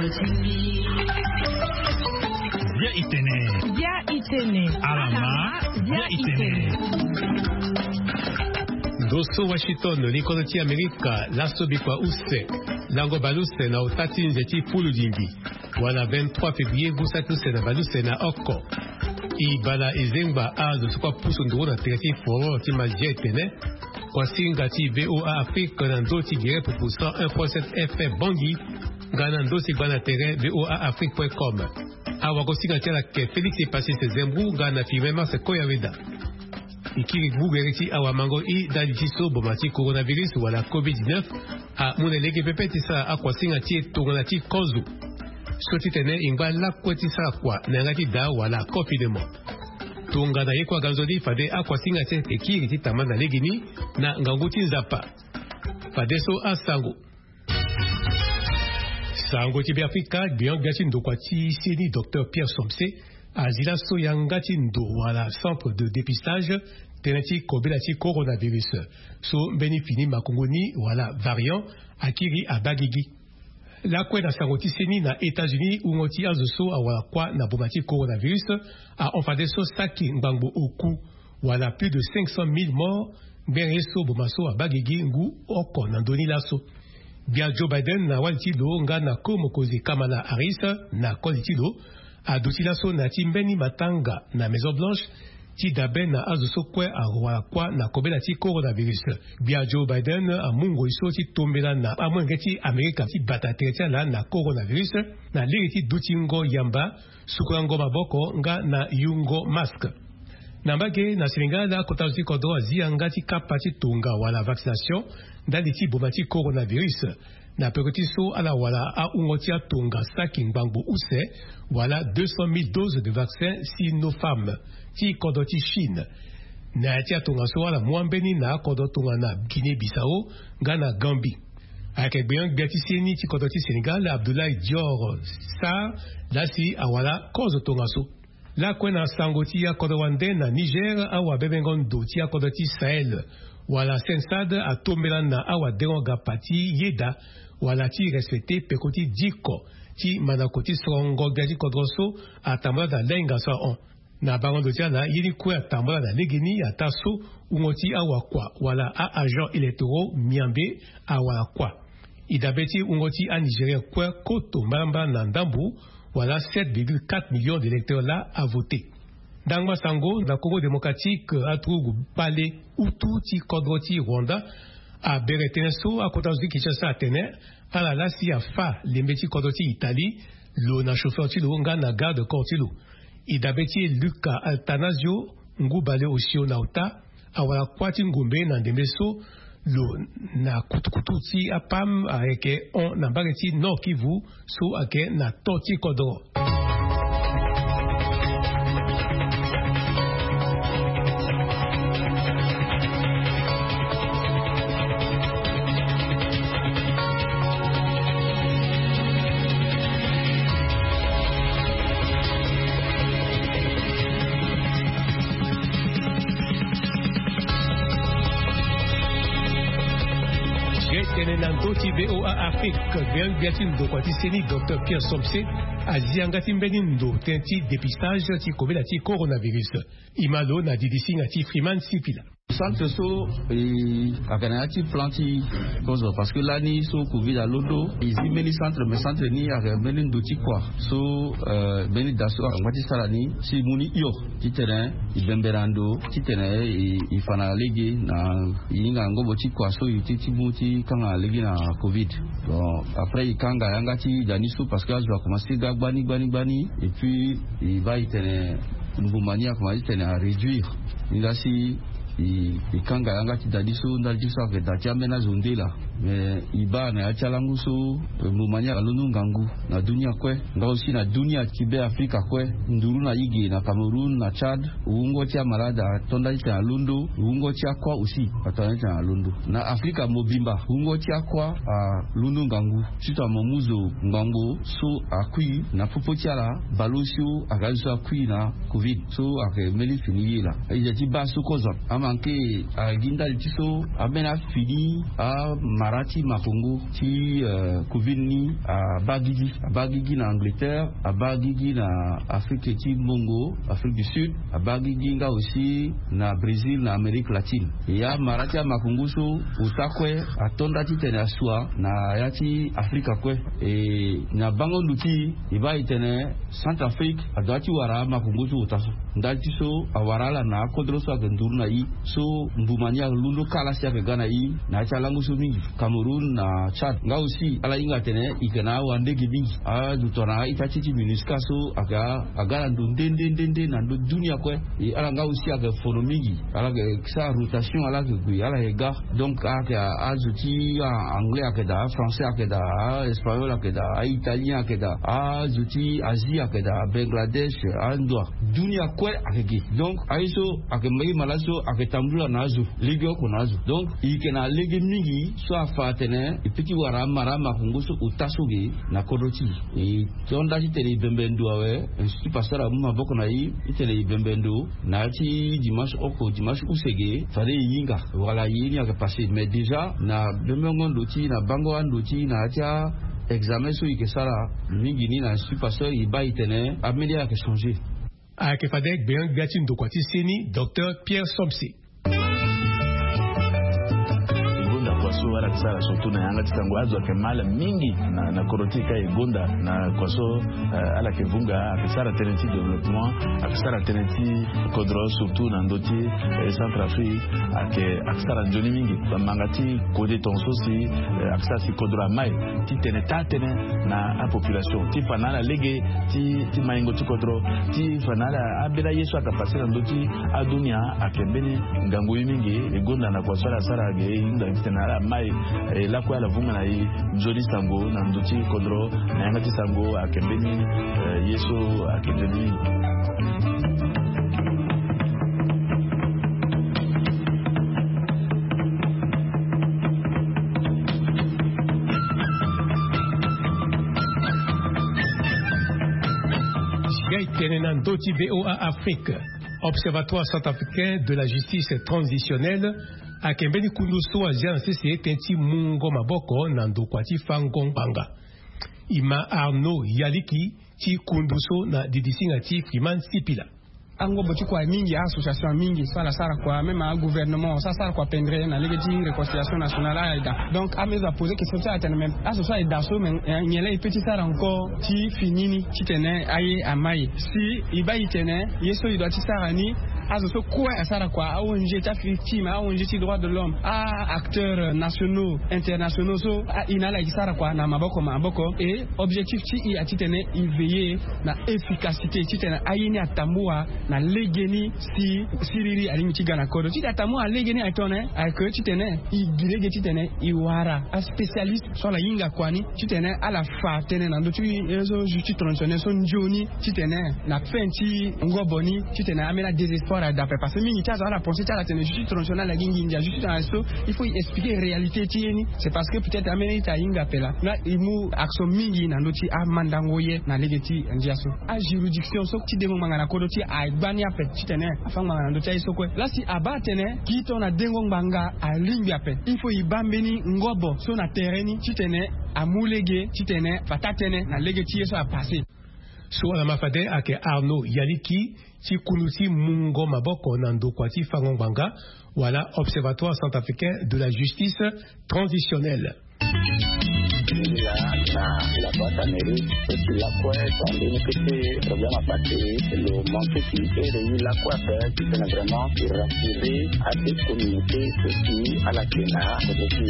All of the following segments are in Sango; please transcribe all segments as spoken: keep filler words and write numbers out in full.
Bia itene. Bia itene. Alama. Bia itene. Ndo so Washington, likodo ti Amerika, laso bikua use, lango baleuse na ota ti nze ti puludingi, wala vingt-trois février, ngu saki use na baleuse na oko. E bala e zengba azo so kue apusu nduru na tere ti foro ti Mazi etene. Kuasinga ti VOA Afrique na ndö ti gere pupu cent un point sept F M Bangui, nga na ndö ti gba na tere VOA Afrique point com. Awagosinga ti ala ke Félix Epasis Zembou nga na Firmin Mars Koyaweda. E kiri gbu gere ti awamango i ndali ti so boma ti coronavirus wala covid dix-neuf amu na lege pepe ti sara akuasinga ti e tongana ti kozo. So titene e ngba lakue ti sara kua na yanga ti daa wala confinement. Tongana ye kue aganzoni fade akuasinga ti e kiri ti tambala na legeni na ngangu ti Nzapa. Fadeso asango. Sango ti Beafrika, gbion-gbia ti ndokua ti seni, Docteur Pierre Somse, azi laso yanga ti ndo wala centre de dépistage tënë ti kobela ti coronavirus, so mbeni fini makongo ni wala variant akiri abaa gigi. Lakue na sango ti seni, na États-Unis, wungo ti azo so awara kuâ na boma ti coronavirus ahon fadeso saki ngbangbo oku, wala plus de cinq cent mille morts, ngbere ye so boma so abaa gigi ngu oko na ndö ni laso. Gbia Joe Biden na wali ti lo nga na ko mokonzi Kamala Harris na koli ti lo aduti laso na ya ti mbeni matanga na Maison Blanche ti dabe na azo so kue awara kuâ na kobela ti coronavirus. Gbia Joe Biden amu ngoi so ti tombela na amolenge ti Amerika ti bata tere ti ala na coronavirus na lege ti dutingo yamba, sukulango maboko nga na yungo masque. Na mbage na Sénégal, akota zo ti kodro azi yanga ti kapa ti tonga wala vaccination ndali ti boma ti coronavirus. Na peko ti so ala wara awungo ti atonga saki ngbangbo use, wala deux cent mille doses de vaccin Sinopharm ti kodro ti Chine. Na ya ti atongaso ala mu ambeni na akodro tongana Guinée-Bissau nga na Gambie. Ayeke gbeon-gbia ti seni ti kodro ti Sénégal, Abdoulaye Dior Sarr, laa si awara kozo tongaso. Lakue na sango ti akodro wande, na Niger, awabebengo ndo ti akodro ti Sahel wala CENSAD atombela na awadengo-gapa ti yeda wala ti respecte peko ti diko ti mandako ti sorongo gbia ti kodro so atambula na lainga so ahon. Na bango ndo ti ala, ye ni kue atambula na legeni ataa so wungo ti awakua wala a-agents électoraux miambe awara kuâ. E dabe ti wungo ti a-Nigérien kue koto mbalambala na ndambo, wala sept virgule quatre millions d'électeurs laa avote. Ndangba sango, na Congo Démocratique, aturugu kpale utu ti kodro ti Rwanda abere tënë so akota zo ti Kinshasa atene ala laa si afâ lembe ti kodro ti Italie, lo na chauffeur ti lo nga na garde corps ti lo. E dabe ti e Luca Attanasio, ngu bale osio na ota, awara kuâ ti ngombe na ndembe so lo na kutukutu ti apam ayeke hon na mbage ti Nord-Kivu so ayeke na to ti kodro. Ge tene na ndö ti VOA Afrique, gbeon-gbia ti ndokua ti seni, Docteur Pierre Somse, azi yanga ti mbeni ndo tënë ti dépistage ti kobela ti coronavirus. E ma lo na didisinga ti Freeman Sipila. Centre so, e, ayeke na ya ti plan ti kozo, parce que lani so covid alondo, e zi mbeni centre, mais centre ni ayeke mbeni ndo ti kua so, euh, mbeni da so angba ti sara ni si e mu ni hio titene e bembe na ndo titene e, e fa na lege na e hinga na ngobo ti kua so e ti, ti mu ti kanga na lege na covid. Bon, après e kanga yanga ti da ni so parce que azo akomanse ga gbani, gbani, gbani, et puis e baa e tene mbuma ni akomanse titene aréduire. Ni laa si e, e kanga yanga ti da ni so ndali ti so ayeke da ti ambeni azo nde laa. Mais e baa na ya ti alangu so, eh, mbuma ni alondo ngangu na dunia kue. Nga aussi na dunia ti Beafrika kue, nduru na e ge na Cameroun, na Tchad, wungo ti amalade ato ndali titene alondo, wungo ti akuâ aussi ato ndali titene alondo. Na Afrika mobimba, wungo ti akuâ alondo ngangu. Surtout amomuzo ngbangbo so akui na popo ti ala, baleosio aga so akui na covid so ayeke mbeni fini ye laa. E yeke ti baa so kozo. Manke agi ndali ti so ambeni afini amara ti makongo ti covid ni. Abaa gigi abaa gigi na angleterre, abaa gigi na afrike ti mbongo, afrike du sud, abaa gigi nga aussi na brésil na amérique latine. E amara ti amakongo so ota kue atonda titene asua na ya ti afrika kue. E na bango ndo ti e baa e tene centrafrique adoit ti wara amakongo so ota so. Ndali ti so awara ala na akodro so ayeke nduru na i so mbuma ni alondo kala si ayeke ga na i na ya ti alango so mingi. Cameroun na tchad nga aussi ala hinga atene i yeke na awandege mingi. Azo tongana a-ita ti ti minusca so ayeke aga na ndo nde nde nde nde na ndo dunia kue. E ala nga aussi ayeke fono mingi. Ala yeke sara rotation ala yeke gue ala yeke ga. Donc ayeke azo ti anglais ayeke daa, afrançais ayeke daa, aespagnol ayeke daa, aitalien ayeke daa, azo ti asie ayeke daa, abangladesh, andoa dunia kue ayeke gi. Donc aye so ayeke mbage mala so ayeke tambula na azo legeoko na azo. Donc e yeke na lege mingi so afa atene e pe ti wara amara amakongo so ota so ge na kodro ti e. E tonda titene e bembe ndo awe. Institut pasteur amu maboko na e titene e bembe ndo na ya ti dimanche oko dimanche use ge fade e hinga wala ye ni ayeke passe mais déjà na bembengo ndo ti na bango ando ti na ya ti a examen so e yeke sara mingi ni na institut pasteur e baa e tene ambeni ayeke changer. Ayeke fade gbenga-gbia ti ndokua ti seni docteur pierre somse. E gonda kua so ala yeke sara surtout na yanga ti sango azo ayeke ma ala mingi na koro ti e ka e gonda na kua so ala yeke vunga ayeke sara tënë ti développement, ayeke sara tënë ti kodro surtout na ndö ti centrafrique. Ayeke ayeke sara nzoni mingi bamanga ti kode tonga so si ayeke sara si kodro amai titene taa tënë na apopulation ti fa na ala lege ti maingo ti kodro ti fa na ala ambeni aye so ayeke passe na ndö ti adunia. Ayeke mbeni ngangu ye mingi e gonda na kua so ala sara ge e hinga titene ala mai e lakue ala vunga na e nzoni sango na ndö ti kodro na yanga ti sango ayeke mbeni ye so ayeke nzoni mingi. Ga e tene na ndö ti voa afrique. Observatoire centrafricain de la justice transitionnelle ayeke mbeni kundu so azia na sese tënë ti mungo maboko na ndokua ti fango ngbanga. E ma arnaud yaliki ti kundu so na didisinga ti friman sipila. Angobo ti kua mingi association mingi so ala sara kua même agouvernement so asara kua pendre na lege ti réconciliation nationale aye daa. Donc ame zo apose question ti ala tene même azo so aye daa so mais nyen laa e pe ti sara encore ti fini ni titene aye amai si e baa e tene ye so e doit ti sara ni. Azo so kue asara kua aong ti africtime aong ti droit de l'homme a acteurs nationaux internationaux so aina ala e sara kua na maboko maboko e objectif ti e atitene e veiller na efficacité titene aye ni atambua na legeni si siriri alingbi ti ga na kodro titene atambua na legeni atone ayeke titene e gi lege titene e wara aspécialiste so ala hinga kua ni titene ala fa tënë na ndö ti ye so justice traditionnelle so nzoni titene na fin ti ngobo ni titene ambeni adésespoir adape parce que mingi ti azo ala pense ti ala tene justice traditionnelle agi nginza justice na so il faut e expliquer réalité ti ye ni. C'est parce que peut-être ambeni ita ahinga ape laa nga e mu action mingi na ndö ti amandango ye na lege ti ndia so ajuridiction so ti dengo ngbanga na kodro ti e agbani ape titene afa ngbanga na ndö ti aye so kue laa si abaa atene gi tongana dengo ngbanga alingbi ape il faut e baa mbeni ngobo so na tere ni titene amu lege titene fa taa tënë na lege ti ye so apasse. So ala ma fade ayeke arnaud yaliki ti kundu ti mungo maboko na ndokua ti fango ngbanga wala observatoire centrafricain de la justice transitionnelle. Ngia na la boîte à mairie eti lakue tongana mbeni kete problème apasse lo manque ti ere ye lakue ape titene vraiment e rassurer ade communauté so si ala ke na kote ti e.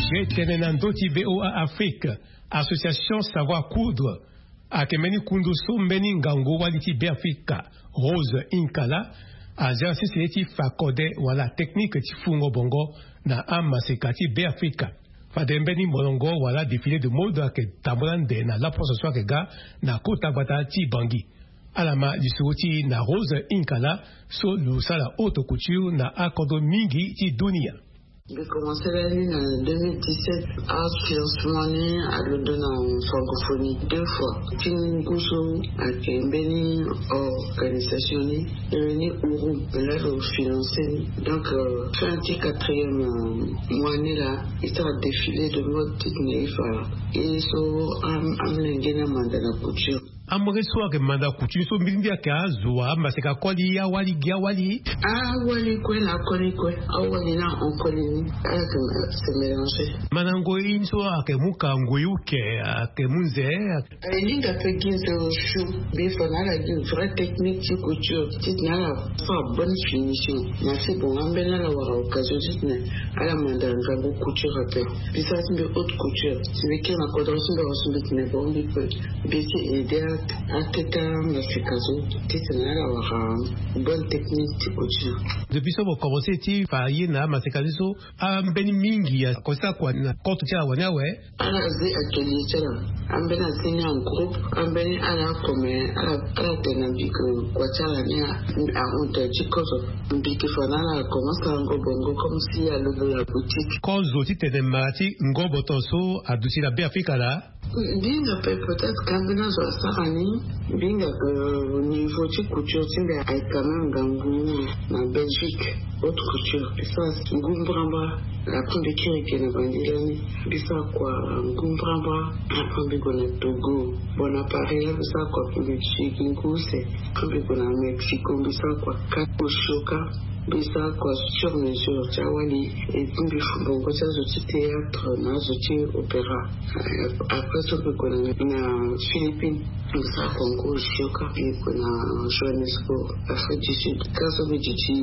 Ge tene na ndö ti voa afrique association savoir coudre ayeke mbeni kundu so mbeni ngangu wali ti beafrika rose inkala azia sese ye ti fa kode wala teknike ti fungo bongo na amaseka ti beafrika. Fade mbeni molongo wala défilé de mode ayeke tambula ande na laposo so ayeke ga na kota gbata ti bangi. Ala ma lisoro ti na rose inkala so lo sara haute couture na akodro mingi ti dunia. Mbi commencé lani na deux mille dix-sept. Afinancement ni alondo na francophonie deux fois. Ti ngu so ayeke mbeni organisation ni, e ni uru me laa lo financé ni. Donc fin ti quatrième mois ni laa, e sara défilé de mode titene e fa e so amolenge ni amanda na couture. Amolenge so ayeke manda couture so mbirimbiri ayeke azo amaseka koli awali gi awali. Awali kue na akoli kue. Awali na ankoli ni ala yeke se mélanger. Mandango ye ni so ayeke mu ka ngoi uke ayeke mu nze. Alinga pe gi nze osio. Mbi fa na ala gi vrai technique ti couture titene ala sara bonne finition. Na si bon ambeni ala wara occasion titene ala manda ngangu couture ape. Mbi sara ti mbi haute couture. Si mbi kiri na kodro ti mbi awa so mbi tene bon mbi pe mbi ti aidé akete amaseka so titene ala wara bonne technique ti couture. Depuis so mo commencé ti fa ye na amaseka ni so ambeni mingi akosa kua na compte ti ala wani awe. Ala zi atelier ti ala. Ambeni azi ni en groupe. Ambeni ala comme ala ala tene na mbi ke kua ti ala ni ahon tene ti kozo. Mbi ke fa na ala akomanse ango bongo comme si alondo na boutique. Kozo titene mara ti ngoboto so aduti na Beafrika laa. Mbi hinga pe peut-être ka ambeni azo asara ni. Mbi hinga ke niveau ti couture ti mbi aye quand même ngangu na Belgique. Haute couture. Mbi sara ngu mbrambra. Après mbi kiri ge na bandi lani. Mbi sara kua ngu mbrambra. Après mbi gue na Togo. Bon na Paris laa mbi sara kua mbi ti gi ngu use. Après mbi gue na Mexico mbi sara kua kati osio kâ. Mbi sara kua sur mesure ti awali. Et puis mbi fu bongo ti azo ti théâtre na azo ti opéra. Après so mbi gue na Philippines. Mbi sara kua ngu osio kâ. Mbi gue na Johannesburg, Afrique du Sud. Kâ so mbi duti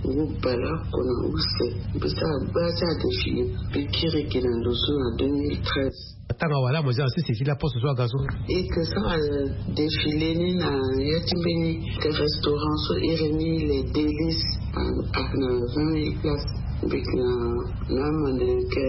ngu bale oko na use. Mbi sara gba ti adéfilé. Mbi kiri ge na ndo so na deux mille treize. Atango awara mo zia na sese ti laposte so aga so. E ke sara défilé ni na ya ti mbeni restaurant so iri ni Les Délices. Ayeke na vingt mille places. Mbi yeke na amande yeke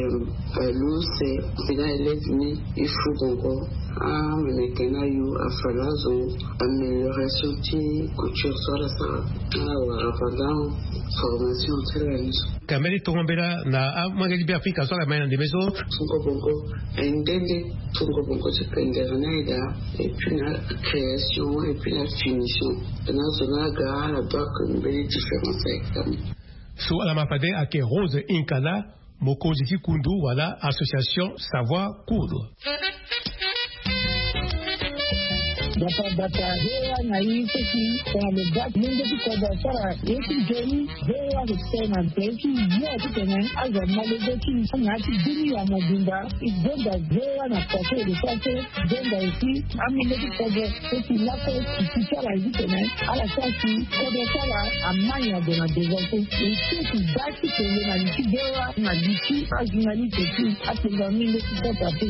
use. Mbi na élève ni e fu bongo. Amene yeke na yo afa na azo amélioration ti couture so ala sara. Ala wara pendant formation ti ala ni so. Ka mbeni tongombela na amolenge ti Beafrika so ala mai na ndembe so. Fungo bongo aye nde nde. Fungo bongo ti pendere ni aye daa. Et puis na création et puis na finition. Na zo ni aga ala doit que mbeni différence aye ka. So ala ma fade ayeke Rose Inkala, mokonzi ti kundu wala association Savoir Coudre. Bata bata, V O A na i seki tongana lo ga mungo ti kodro asara ye ti nzoni. V O A lo tene na nze ti yo titene azo amolenge ti i na ya ti bini ya mobimba. I gonda V O A na kua so e lo sara so. Gonda aussi amolenge ti kodro so si laso si ti ala zi tene ala sara si kodro ti ala amai na gue na devant so. E seki ga ti kende na li ti V O A na li ti ajournaliste ti apenga amolenge ti kodro ape.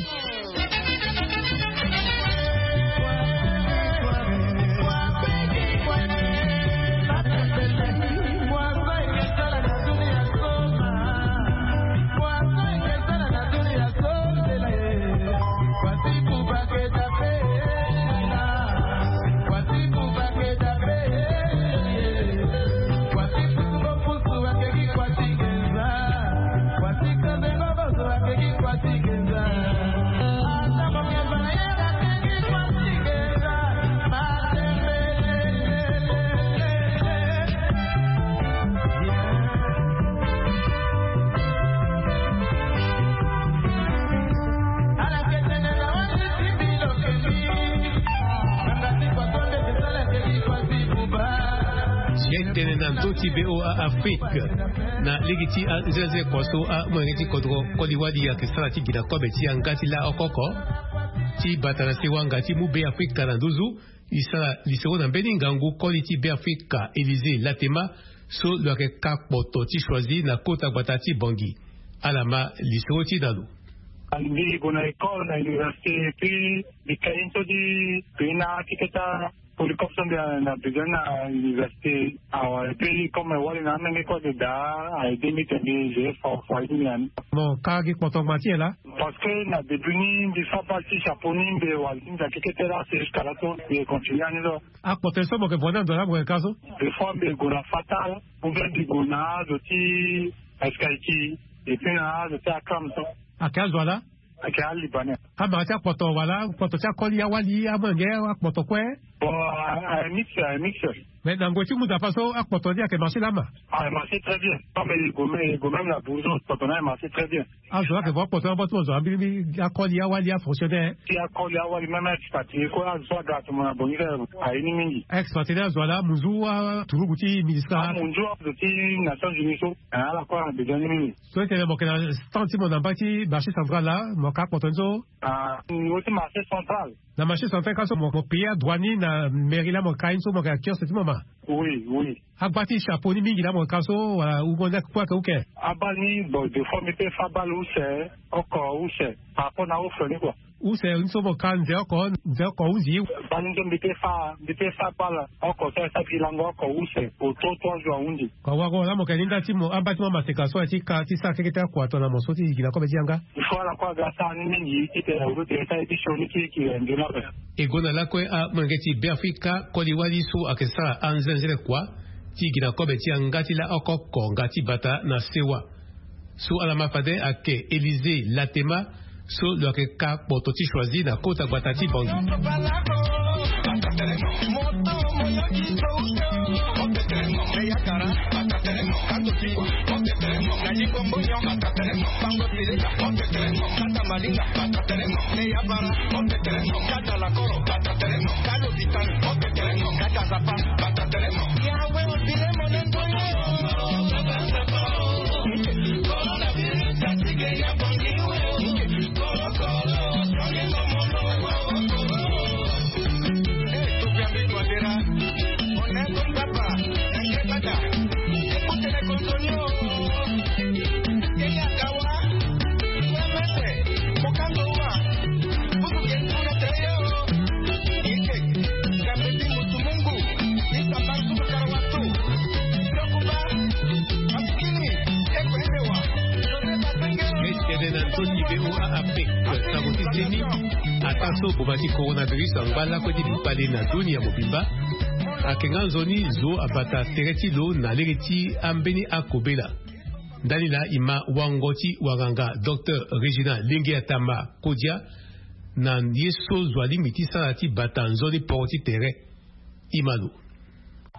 Ye tene na ndö ti V O A Afrique na lege ti anzenanzene kua so amolenge ti kodro koli wali ayeke sara ti gi na kobe ti yanga ti laoko oko ti bata na sewanga ti mu Beafrika na nduzu. E sara lisoro na mbeni ngangu koli ti Beafrika Élysée Latema so lo yeke ka kpoto ti choisi na kota gbata ti Bangui. Ala ma lisoro ti na lo. Mbi gue na école na université, puis mbi ka ye so ti gue na ti keta polycope so mbi na besoin na université. Awa, et puis comme wali na amenge kue ayeke daa, a aidé mbi tene mbi géré fa fa ti mbi na ni. Bon, ka gi kpotongba ti e laa? Parce que na début ni mbi fa bal ti chapeau ni mbi wali ti nza kekete laa, c'est jusqu'à là so mbi continue ani so. Akpoto so mo yeke vo ni ando laa mo yeke ka so? Des fois mbi gue na fatal, ou bien mbi gue na azo ti escalier ti Et puis na azo ti akam so. Ake azo ala? Ake alibanais. Amara ti akpoto wala akpoto ti akoli awali amolenge akpoto kue? Bon, a mix, a mix. Mais na ngoi ti muda fa so akpoto ni ake marché lama? Ah, marché très bien. Comme il go même, il go même la bourgeois, akpoto na marché très bien. Azo ake vo akpoto na bot mo zo ambili akoli awali afonctionnaire. Ti akoli awali même expatrié ko azo aga atuma na bongi. Aye ni mingi. Expatrié azo ala munzu aturugu ti ministre. Munzu azo ti Nations Unies so. Ala ko abezoin ni mingi. So ete mo yeke na stand ti mo na mba ti marché central la mo ka akpoto ni so? Ah, niveau ti marché central. Na marché central ka so mo payer adroit ni na mairie la mo ka ye ni so mo yeke na kiosque ti mo ma? Oui, oui. Agba ti chapeau ni mingi la mo ka so wala wungo ni akue ake uke? Abal ni bon de fois mbi pe fa abal use. Oko use par rapport na offre ni kua. Use ni so mo ka nze oko nze oko hundi. Baa ni nzo mbi pe fa mbi pe fa abal oko so esa ti lango oko use. Oto trois jours ahundi. Kua wago la mo yeke ni nda ti mo amba ti mo amaseka so aye ti ka ti sara keke ti akua tongana mo so ti yigi na kobe ti yanga. Il faut ala kue aga sara ni mingi ti tene uru tene sara ye ti sioni ti yeke nzoni ape. E gue na lakue amolenge ti Beafrika koli wali so ayeke sara anzenzele kua ti gi na kobe ti yanga ti la oko oko nga ti bata na sewa. So ala ma fade ayeke Élysée Latema so lo yeke ka kpoto ti choisi na kota gbata ti Bangui. Tene na nzoni V O A Afrique, sango ti seni. Ata so boma ti coronavirus angba lakue ti bale na dunia mobimba, ayeke nga nzoni zo abata tere ti lo na lege ti ambeni akobela. Ndani laa e ma wango ti wanganga Docteur Régina Lingi Atama Kodia na ye so zo alingbi ti sara ti bata nzoni poro ti tere. E ma lo.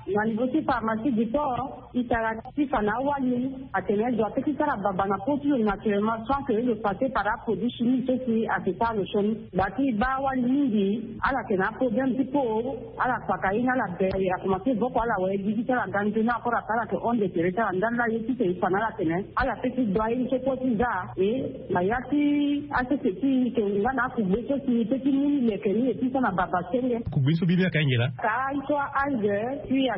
Na niveau ti pharmacie du port, e tara ti fa na awali atene zo ape ti sara baba na po ti lo naturellement sans que lo passe par aproduit chimique so si ayeke sara lo sioni. Gba ti e baa awali mingi, ala yeke na aproblème ti po, ala kpaka ye ni ala bere, akomanse voko ala wara ye gigi ti ala ga nzoni encore ape ala yeke honde tere ti ala ndali laa ye ti tene e fa na ala atene ala pe ti do aye ni so kue ti za. E na ya ti asese ti e yeke nga na akugbe so si e pe ti mu ni leke ni e ti so na baba senge. Kugbe ni so mbi ni ayeke ahinga laa? Ka ye so a-âge puis ayeke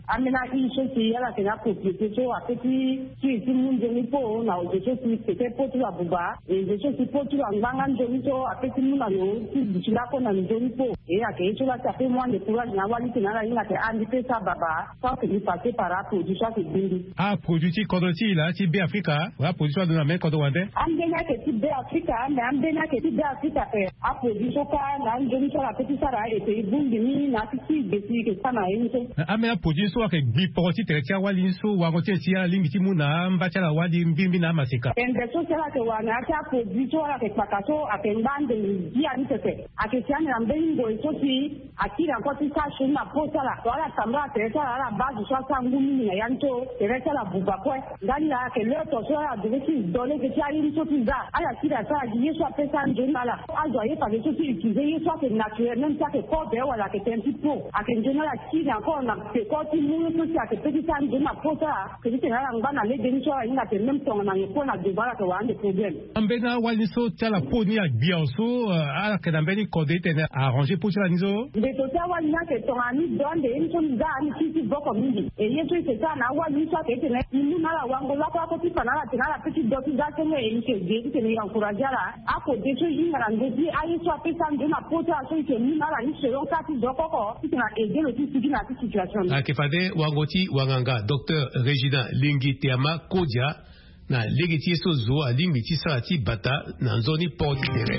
ambeni ahi so si ala yeke na apropriété so ape ti ti e ti mu nzoni po na ozo so si peut-être po ti lo abuba. E zo so si po ti lo angba nga nzoni so ape ti mu na lo ti duti lakue na nzoni po. E ayeke ye so laa si ape mu ande courage na awali ti tene ala hinga atene ah mbi pe sara baba. Sans que mbi passe par aproduit so ayeke gbe mbi. Aproduit ti kodro ti e laa ti Beafrika wala aproduit so alondo na mbeni kodro wande? Ambeni ayeke ti Beafrika, mais ambeni ayeke ti Beafrika ape. Aproduit so kâ na anzoni so ala pe ti sara ete e bongbi ni na ya ti si gbe si e yeke sara na ye ni so. Na ambeni aproduit ni so ayeke gbi poro ti tere ti awali ni so wango ti e si ala lingbi ti mu na amba ti ala wali mbirimbiri na amaseka. Tende so si ala yeke wara na ya ti aproduit so ala yeke kpaka so ayeke ngba ande ngia ni pepe. Ayeke si ande na mbeni ngoi so si akiri encore ti sara sioni na po ti ala. So ala tambula tere ti ala, ala baa zo so asara ngu mingi na ya ni so tere ti ala buba kue. Ndali laa ayeke l'heure so ala devait ti do lege ti aye ni so ti za. Ala kiri asara gi ye so ape sara nzoni na ala. Azo aye fade so ti utiliser ye so ayeke naturel, même si ayeke kobe wala ayeke tënë ti po. Ayeke nzoni ala kiri encore na peko ti mu ye so si ayeke pe ti sara nzoni na po ti ala. Ayeke ti tene ala ngba na lege ni so ala hinga atene même tongana nyen kue na devant ala yeke wara ande problème. Ambeni awali ni so ti ala po ni agbi awe so, eh, ala yeke na mbeni kode ti tene arranger po ti ala ni so? Mbeto ti awali ni ayeke tongana ni do ande ye ni so ni za ni kiri ti voko mingi. E ye so e yeke sara na awali ni so ayeke ti tene e mu na ala wango lakue lakue ti fa na ala atene ala pe ti do ti za senge e yeke ge ti tene e encourager ala. Akode so e hinga na ndö ti aye so ape sara nzoni na po ti ala so e yeke mu na ala ni selon ka ti zo oko oko ti tene a aider lo ti sigi na ya ti situation ni. Ayeke fade wango ti wanganga Docteur Régina Lingi Teama Kodia. Na lege ti ye so zo alingbi ti sara ti bata na nzoni port ti tere.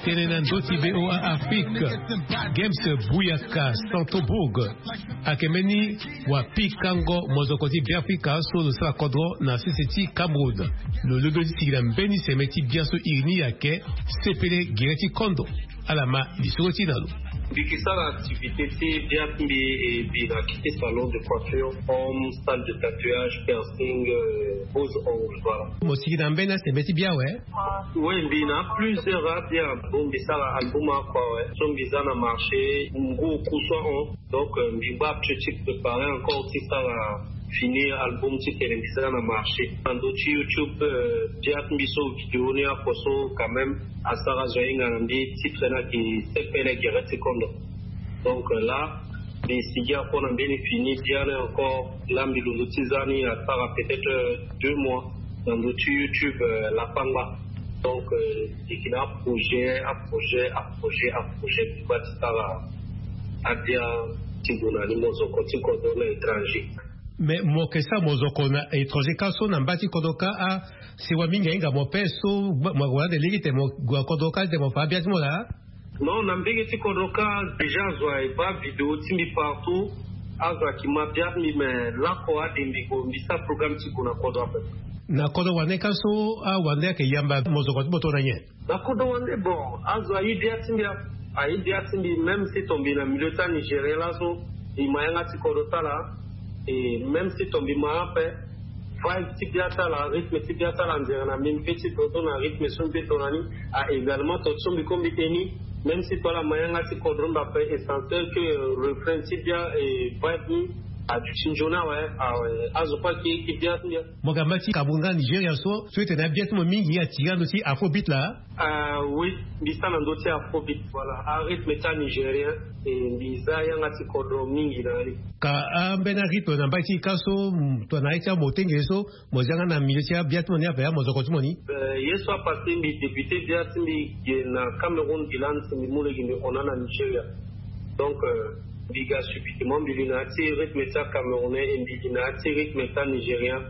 Tene na ndö ti VOA Afrique. Games Buyaka Centrebourg ayeke mbeni wapikango mozoko ti Beafrika so lo sara kodro na sese ti Cameroun. Lo londo ti sigi na mbeni seme ti bia so iri ni ayeke sepele gere ti kondo. Ala ma lisoro ti na lo. Mbi yeke sara activité ti bia ti mbi, e, mbi na kiti salon de coiffure, home, salle de tatouage, piercing, euh, pose ongle, voilà. Mo sigi na mbeni aseme ti bia awe? Oui, mbi na plusieurs abia. Bon, mbi sara album oko awe. So mbi za na marché, ngu oku so ahon. Donc, euh, mbi ngba ti préparer encore ti sara finir album titene mbi za na marché. Na ndö ti YouTube, euh, bia ti mbi so vidéo ni oko so quand même asara zo ahinga na mbi, titre ni ayeke sepele gere ti kondo. Donc, euh, là, mbi sigi oko na mbeni fini bia ni encore. Là, mbi londo ti za ni asara peut-être, euh, deux mois na ndö ti YouTube, euh, Lapangba. Donc, euh, mbi yeke na aprojet, aprojet, aprojet, aprojet, mbi ngba ti sara abia ti gue na ni mozoko ti kodro na étranger. Mais mo yeke sara mozoko na étranger kâ so na mba ti kodro kâ, ah, sewa mingi ahinga mo ape so mo, mo wara ande lege titene mo gue na kodro kâ titene mo fa abia ti mo laa? Non, na mbege ti kodro kâ, déjà zo aye baa vidéo ti mbi partout. Azo ayeke ma bia ti mbi, mais laoko ade mbi gue, mbi sara programme ti gue na kodro ape. Na kodro wande kâ so, awande ayeke yamba mozoko ti mo tongana nyen? Na kodro wande, bon, azo aye bia ti mbi, aye bia ti mbi, même si tongana mbi na milieu ti a-Nigérien laso, mbi ma yanga ti kodro ti ala. Et même si tongana mbi ma ape, vibe ti bia ti ala, rythme ti bia ti ala, nzere na mbi, mbi peut ti dodo na rythme so mbi peut do na ni. Ah, également, tongana so mbi kue mbi tene ni, même si tongana ala ma yanga ti kodro mbi ape, essentiel que, euh, refrain ti bia et vibe ni aduti nzoni awe, awe, azo kue ayeke bia ti mbi. Mo yeke na mba ti Cameroun nga Nigeria so, so e tene abia ti mo mingi atiri ando ti afrobeat laa? Ah oui, mbi sara na ndö ti afrobeat, voilà, arythme ti a-Nigérien, e mbi za yanga ti kodro mingi na ni. Ka ambeni arythme na mba ti e kâ so, mm, tongana aye ti amotenge so, mo za yanga na milieu ti abia ti mo ni ape, amozoko ti mo ni? Euh, ye so apassé mbi débuté bia ti mbi ge na Cameroun, mbi lani si mbi mu lege mbi hon na Nigeria. Donc, euh, mbi ga subitement, mbi li na ya ti rythme ti acamerounais et mbi li na ya ti rythme ti anigérien.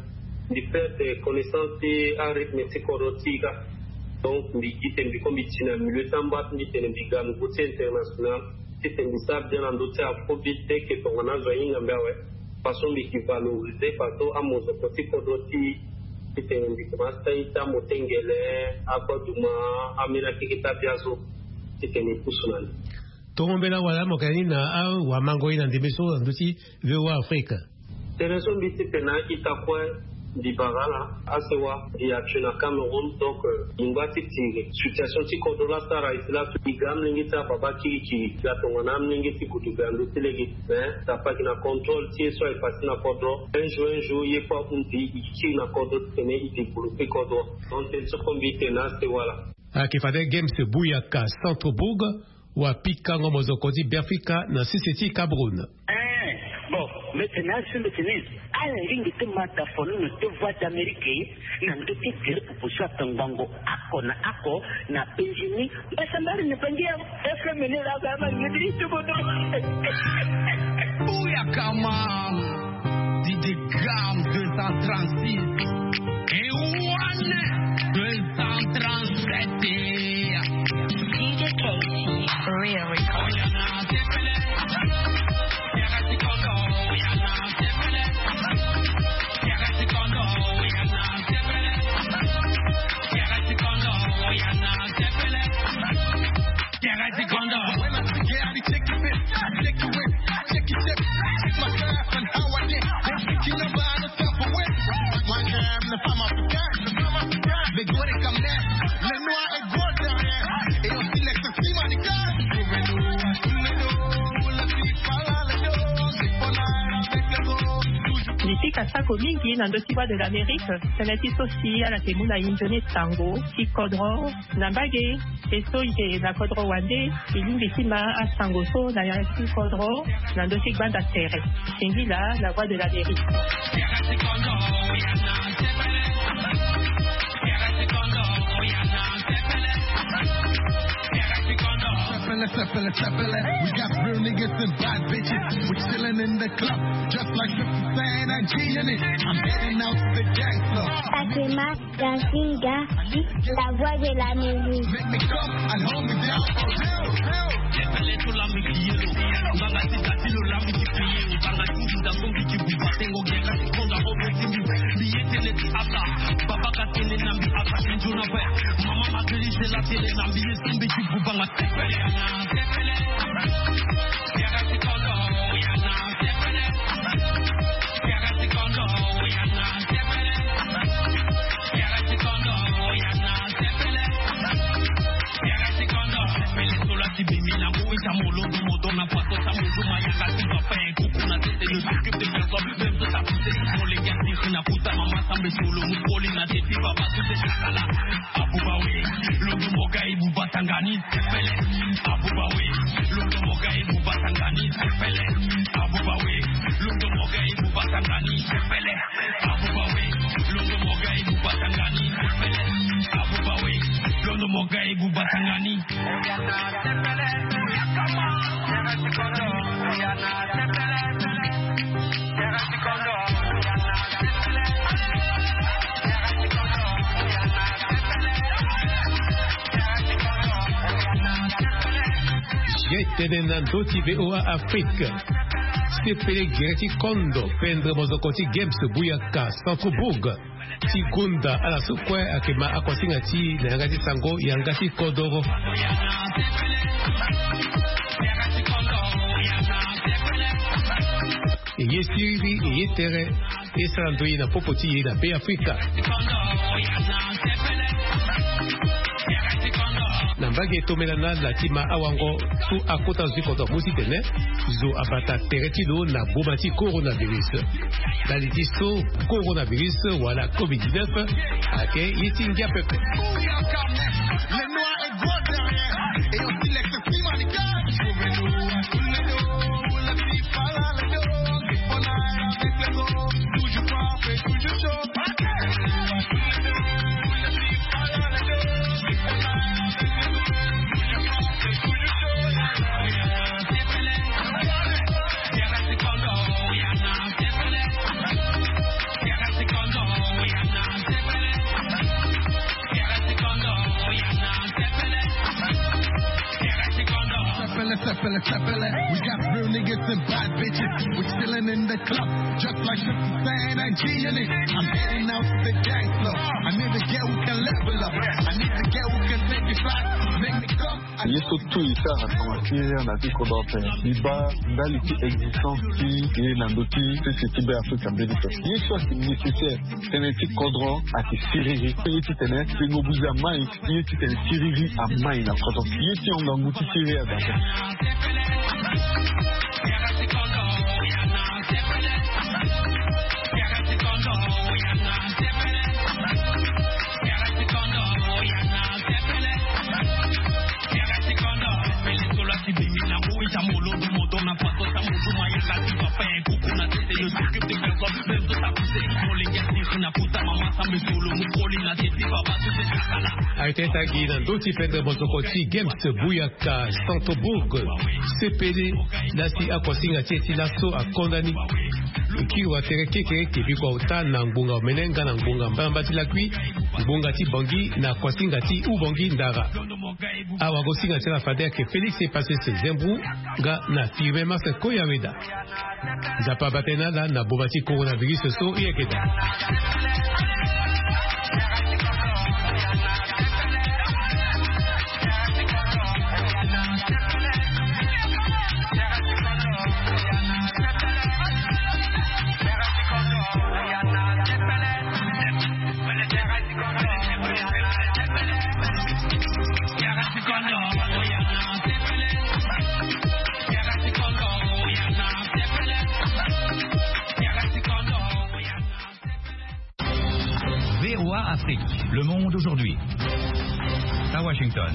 Mbi perdre connaissance ti arythme ti kodro ti e kâ. Donc, mbi gi tene mbi kue mbi ti na milieu ti amba ti mbi tene mbi ga niveau ti international. Titene mbi sara bien na ndö ti afrobeat, dès que tongana azo ahinga mbi awe. Façon mbi yeke valoriser façon amozoko ti kodro ti e. Titene mbi komanse ti a-ita motengele, agbaduma, ambeni akeke ti abia so. Titene e pusu na ni. Tongo mbela wala mo yeke na ni na awamango ye na ndembe so na ndö ti VOA Afrique. Tënë so mbi ti tene na a-ita kue, mbi bara ala, asewa, mbi yatue na Cameroun, donc, euh, mbi ngba ti tiri situation ti kodro la sara e si laso, mbi ga amolenge ti ababa kirikiri, mbi ga tongana amolenge ti gudugbia ndö ti lege. Mais, tapaki na contrôle ti ye so aye passé na kodro. Un jour, un jour, ye kue ahundi, e kiri na kodro titene e développer kodro. Donc, tënë so kue mbi tene na asewa laa. Ayeke fade Games Buyaka Centrebourg, wapikango mozoko ti Beafrika na sese ti Cameroun. Eh, bon, mbi tene na azo, mbi tene, ala lingbi ti ma da fo ni na ndö ti Voix d'Amérique, na ndö ti gere pupu so atongbango oko na oko na penzi ni. Mbasambari ni bangi ya F M ni la, ba ma ngeti ti bodo. Buyaka ma. D J Grams deux cent trente-six. Et one deux cent trente-sept. D J K C, Real Record. Mbi pika sako mingi na ndö ti Voix de l'Amérique, tënë ti so si ala yeke mu na e nzoni sango ti kodro na mbage. E so e yeke na kodro wande, e lingbi ti ma asango so na ya ti kodro na ndö ti gbanda tere. Singila, La Voix de l'Amérique. Sepele, sepele. We got real niggas and bad bitches. We chillin' in the club, just like fifty Cent and G in it. I'm heading out to the gangster. Fatima Gazinga, la voix de la musique. Make me come and hold me down. Sepele to la musique, yellow. Banga ti tati lo la musique, yellow. Banga ti nda songi ti buba tengo gera. Konda ho be ti mbi. Biye tene ti ata. Baba ka tene na mbi ata. Kinjo na pe. Mama ma geri se la tene na mbi. Ye simbi ti buba nga. Abuba we, londo mo ga e buba tangani sepele. Abuba we, londo mo ga e buba tangani sepele. Abuba we, londo mo ga e buba tangani sepele. Abuba we, londo mo ga e buba tangani sepele. Abuba we, londo mo ga e buba tangani. Ye tene na ndö ti V O A Afrique. Sepele gere ti kondo pendre mozoko ti Games Buyaka Centrebourg. Ti gonda ala so kue ayeke ma akuasinga ti e na yanga ti sango yanga ti kodoro. E ye siriri, e ye tere, e sara ndoye na popo ti e na Be Afrika. Na mbage tomela na ala ti ma awango so akota zo ti kodoro mu titene zo abata tere ti lo na boma ti coronavirus. Ndali ti so coronavirus wala covid dix-neuf ayeke ye ti ngia pepe. Sepele, sepele, sepele. We got real niggas and bad bitches. We chillin' in the club, just like fifty Cent and G in it. I'm heading out to the gangster. I need a girl who can level up. I need a girl who can take it fly. Make me come. Ye so tout e sara na tonga ti ye na ti kodro ape. Mbi baa ndali ti existence ti ye na ndö ti sese ti Be Afrika mbeni so. Ye so ayeke nécessaire. Tënë ti kodro ayeke siriri. Ye titene tengo buze amai. Ye titene siriri amai na kodro. Ye ti hon ngangu ti siriri aza ape. Ayeke tangi na ndö ti pendre mozoko ti Games Buyaka Centrebourg. Sepele na si akuasinga ti e ti laso akonda ni. Kiri watere kekereke biko auta na ngbonga omene nga na ngbonga mbalamba ti lakui, ngbonga ti Bangui na kuasinga ti Ubangui Ndara. Awagosinga ti ala fade ayeke Félix Epasese Zembou nga na Firmin Marcel Koyaweda. Nzapa abata e na ala na boma ti coronavirus so e yeke daa. V O A Afrique, le monde aujourd'hui. À Washington.